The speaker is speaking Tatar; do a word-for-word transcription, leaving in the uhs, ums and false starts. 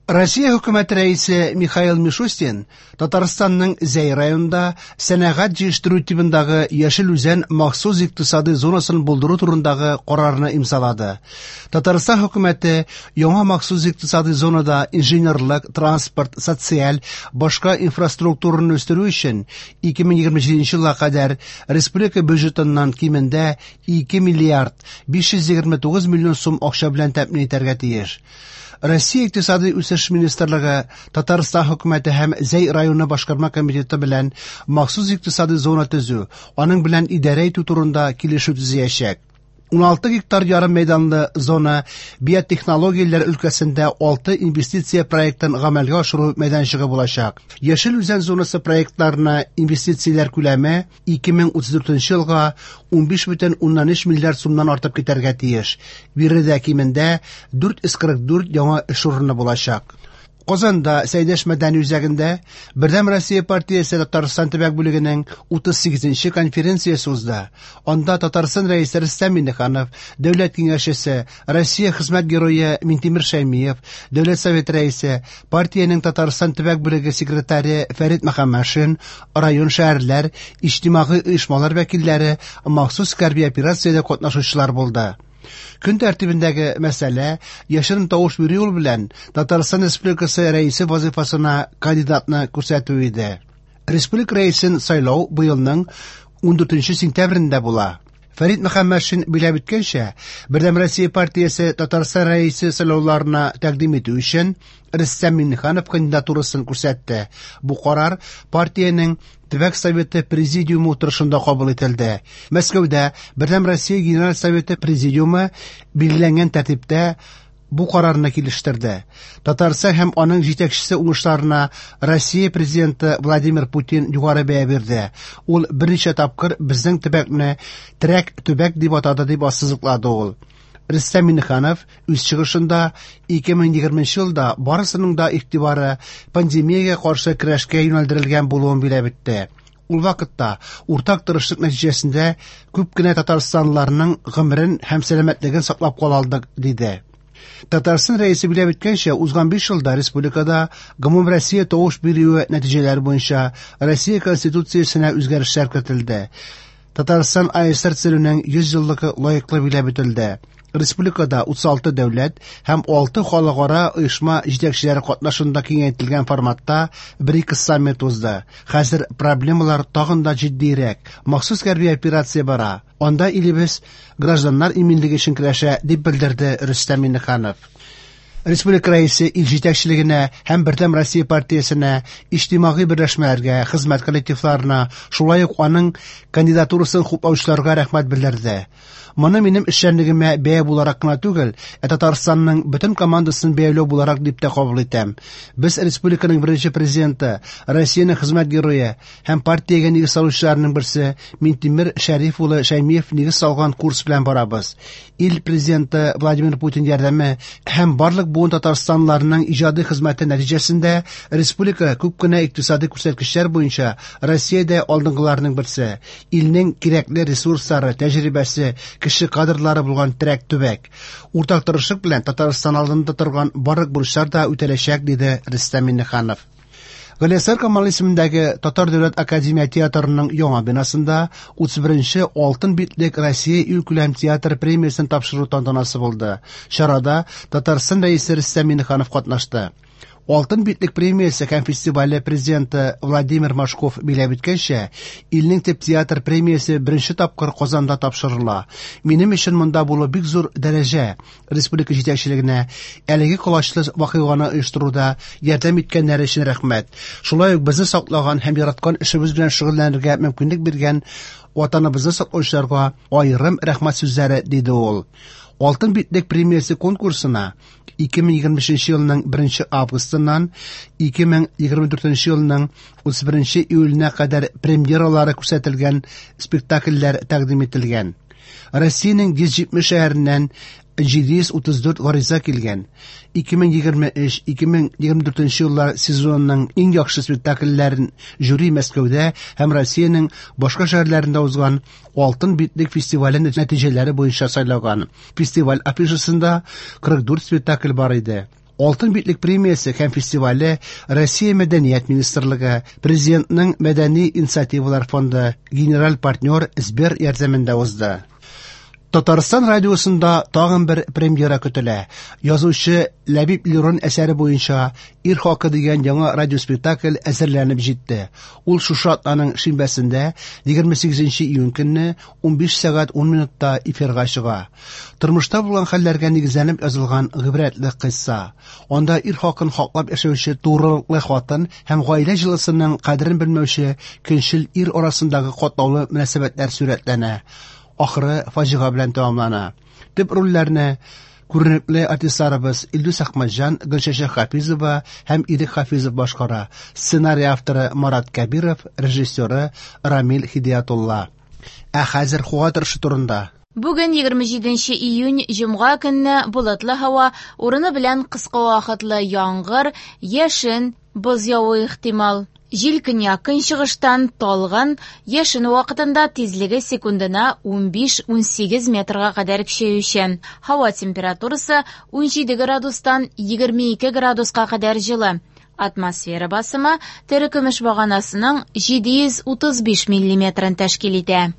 Россия хөкүмәте рәисе Михаил Мишустин Татарстанның Зәй районында сәнәгать җитештерү тибындагы Яшел Үзән махсус икътисади зонасын булдыру турындагы карарны имзалады. Татарстан хөкүмәте яңа махсус икътисади зонада инженерлык, транспорт, социаль, башка инфраструктураны үстерү өчен ике мең егерме җиденче елга кадәр республика бюджетыннан кимендә ике миллиард биш йөз егерме тугыз миллион сум акча белән тәэмин итәргә тиеш. Россия Икътисади үсеш министрлыгы Татарстан хөкүмәте һәм Зәй районы башкарма комитеты белән махсус икътисади зона төзү, аның белән идарә итү турында килешү төзәячәк. Уналты гектар ярым мәйданлы зона биотехнологияләр өлкәсендә алты инвестиция проектын гамәлгә ашыру мәйданчыгы булачак. Яшел Үзән зонасы проектларына инвестицияләр күләме ике мең утыз дүртенче елга унбиш бөтен уннан өч миллиард сумнан артып китәргә тиеш. Биредә кимендә дүрт йөз кырык дүрт яңа эш урыны булачак. Казанда Сәйдәш мәдәни үзәгендә Бердәм Россия партиясе Татарстан төбәк бүлегенең утыз сигезенче конференциясе узды. Анда Татарстан рәисе Рөстәм Миңнеханов, Дәүләт киңәшчесе, Россия хезмәт герое Минтимер Шәймиев, Дәүләт Советы рәисе, партиянең Татарстан төбәк бүлеге секретаре Фәрит Мөхәммәтшин, район шәһәрләр, иҗтимагый оешмалар вәкилләре, махсус хәрби операциядә катнашучылар булды. Көн тәртибендәге мәсьәлә яшерен тавыш бирү юлы белән Татарстан Республикасы рәисе вазифасына кандидатны күрсәтү иде. Республика рәисен сайлау быелның ундүртенче сентябрендә була. Фәрит Мөхәммәтшин биләп үткәнчә, Бердәм Россия партиясе Татарстан рәисе сайлауларына тәкъдим итү өчен Рөстәм Миңнеханов кандидатурасын күрсәтте. Бу карар партиянең Төбәк Советы Президиумы утырышында кабул ителде. Мәскәүдә Бердәм Россия Генераль Советы Президиумы билгеләнгән тәртиптә бу карарны килештерде. Татарстан һәм аның җитәкчесе уңышларына Россия президенты Владимир Путин югары бәя бирде. Ул берничә тапкыр безнең төбәкне терәк төбәк дип атады, дип ассызыклады ул. Рөстәм Миңнеханов үз чыгышында ике мең егерменче елда барысының да игътибары пандемиягә каршы көрәшкә юнәлдерелгән булуын биләп үтте. Ул вакытта уртак тырышлык нәтиҗәсендә күп кенә татарстанлыларның гомерен һәм сәламәтлеген саклап кала алдык, диде. Татарстан рәисе биләп үткәнчә, узган биш елда республикада гомум Россия тавыш бирүе нәтиҗәләре буенча Россия Конституциясенә үзгәрешләр кертелде. Татарстан А С Р төзелүнең йөз еллыгы лаеклы биләп үтелде. Республикада утыз алты дәүләт һәм алты халыкара оешма җитәкчеләре катнашында киңәйтелгән форматта БРИКС саммит узды. Хәзер проблемалар тагын да җитдирәк. Махсус хәрби операция бара. Анда илебез гражданнар иминлеге өчен көрәшә, дип белдерде Рөстәм Миңнеханов. Республика рәисе ил җитәкчелегенә һәм Бердәм Россия партиясенә, иҗтимагый берләшмәләргә, хезмәт коллективларына, шулай ук аның кандидатурасын хуплаучыларга рәхмәт белдерде. Моны минем эшчәнлегемә бәя буларак кына түгел, ә Татарстанның бөтен командасын бәяләү буларак дип тә кабул итәм. Без республиканың беренче президенты, Россиянең хезмәт герое һәм партиягә нигез салучыларның берсе Минтимер Шәриф улы Шәймиев нигез салган курс белән барабыз. Ил президенты Владимир Путин ярдәме һәм барлык буын татарстанлыларның иҗади хезмәте нәтиҗәсендә республика күп кенә икътисади күрсәткечләр буенча Россиядә алдынгыларның берсе. Илнең кирәкле ресурслары, тәҗрибәсе, кеше кадрлары булган терәк төбәк. Уртак тырышлык белән Татарстан алдында торган барлык бурычлар да үтәләчәк, диде Рөстәм Миңнеханов. Галиәсгар Камал исемендәге Татар дәүләт академия театрының яңа бинасында утыз беренче Алтын битлек Россия илкүләм театр премиясен тапшыру тантанасы булды. Чарада Татарстан рәисе Рөстәм Миңнеханов катнашты. Алтын битлек премиясе һәм фестивале президенты Владимир Машков биләп үткәнчә, илнең төп театр премиясе беренче тапкыр Казанда тапшырыла. Минем өчен монда булу бик зур дәрәҗә. Республика җитәкчелегенә әлеге колачлы вакыйганы оештыруда ярдәм иткәннәре өчен рәхмәт. Шулай ук безне саклаган һәм яраткан эшебез белән шөгыльләнергә мөмкинлек биргән ватаныбызны саклаучыларга аерым рәхмәт сүзләре, диде ул. Алтын битлек премиясе конкурсына ике мең егерме өченче елның беренче августыннан ике мең егерме дүртенче елның утыз беренче июленә кадәр премьералары күрсәтелгән спектакльләр тәкъдим ителгән. Россиянең йөз җитмеш шәһәреннән җиде йөз утыз дүрт гариза килгән. Ике мең егерме өч, ике мең егерме дүртенче еллар сезонының иң яхшы спектакльләрен жюри Мәскәүдә һәм Россиянең башка шәһәрләрендә узган Алтын битлек фестивале нәтиҗәләре буенча сайлаган. Фестиваль афишасында кырык дүрт спектакль бар иде. Алтын битлек премиясе һәм фестивале Россия Мәдәният министрлыгы, Президентның мәдәни инициативалар фонды, генераль партнер Сбер ярдәмендә узды. Татарстан радиосында тагын бер премьера көтелә. Язучы Ләбиб Лерон әсәре буенча «Ир хакы» дигән яңа радиоспектакль әзерләнеп җитте. Ул шушы атнаның шимбәсендә, егерме сигезенче июнь көнне унбиш сәгать ун минутта эфирга чыга. Тормышта булган хәлләргә нигезләнеп язылган гыйбрәтле кыйсса. Анда ир хакын хаклап яшәүче турылыклы хатын һәм гаилә җылысының кадерен белмәүче көнчел ир арасындагы катлаулы мөнәсәбәтләр сурәтләнә. Ахыры фаҗига белән тәмамлана. Төп рольләрне күренекле артистларыбыз Илдус Әхмәтҗан, Гөлчәчәк Хафизова һәм Ирек Хафизов башкара. Сценарий авторы Марат Кәбиров, режиссеры Рамил Хидиятулла. Ә хәзер һава торышы турында. Бүген егерме җиденче июнь, җомга көнне болытлы һава, урыны белән кыска вакытлы яңгыр, яшен, боз явуы ихтимал. Җил көньяк-көнчыгыштан талгын, яшен вакытында тизлеге секундына унбиш-унсигез метрга кадәр көчәючән. Һава температурасы унҗиде градустан егерме ике градуска кадәр җылы. Атмосфера басымы терекөмеш баганасының җиде йөз утыз биш миллиметрын тәшкил итә.